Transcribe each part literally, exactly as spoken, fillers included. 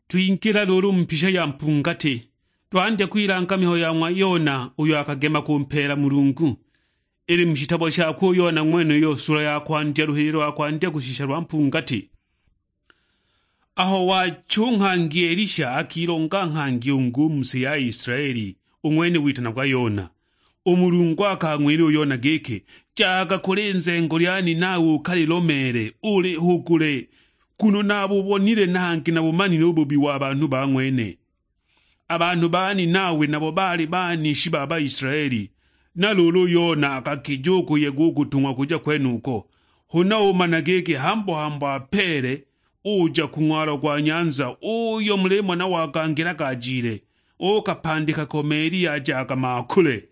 Twingila luulu mu mpisha ya mpungati, twandya kwilanga mihayo ya ng'wa Yona uyo akagema kumpeela Mulungu. Ili mu shitabo shakwe u Yona ng'wenuyo, sula ya kwandya, luhililo lwa kwandya kushisha lwa mpungati. Aho wacha u nghangi Elisha akilonga nghangi ungi u mu si ya Israeli, u ng'wene witanagwa Yona. U Mulungu akang'wila u Yona giki, "Jaga kuli nzengo lya ninawe ukalilomeele, ulihugule, nguno nabubonile na hangi nabumanile u bubi wa banhu ba ng'wene." A banhu ba ninawe nabo baali banishi ba Baisilaeli, na luulu u Yona akakija u kuyega u kutung'wa kuja kwenuko. Huna umana giki hambo-hambo apeele, uja ku ng'walo gwa nyanza uyo mulimona wagangilaga ajile, ukapandika ko meli yajaga maakule,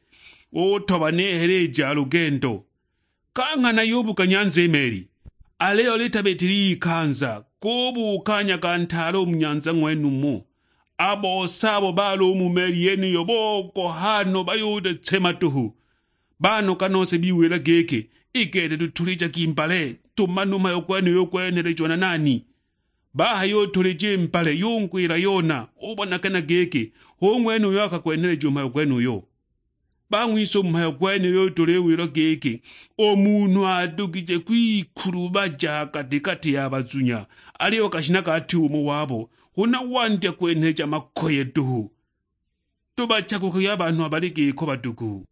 utoba n'ihela i ja lugendo. Ka nghana yubuka nyanza i meli, aliyo litabitile ikanza, gubuuka nyaga ntaale u mu nyanza ng'wenumo. A bose abo baali u mu meli yeniyo bogoha no, bayudetsema duhu. Banoga nose biwila giki, "I gete tutulija ki mbale, tumane u mhayo gwenuyo gwenhelejiwa na nani?" Bahayutulija i mbale, yungwila Yona, ubonagana giki hu ng'wene uyo akagwenheleja u mhayo gwenuyo. Bang'wise u mhayo gwenuyo tuliwilwa giki, u munhu adugije kwikulubaja ha gati-gati ya bazunya, aliyo gashinaga ati umo wabo, huna wandya kwenheleja makoye duhu. Tubachagukage a banhu abali giko badugu.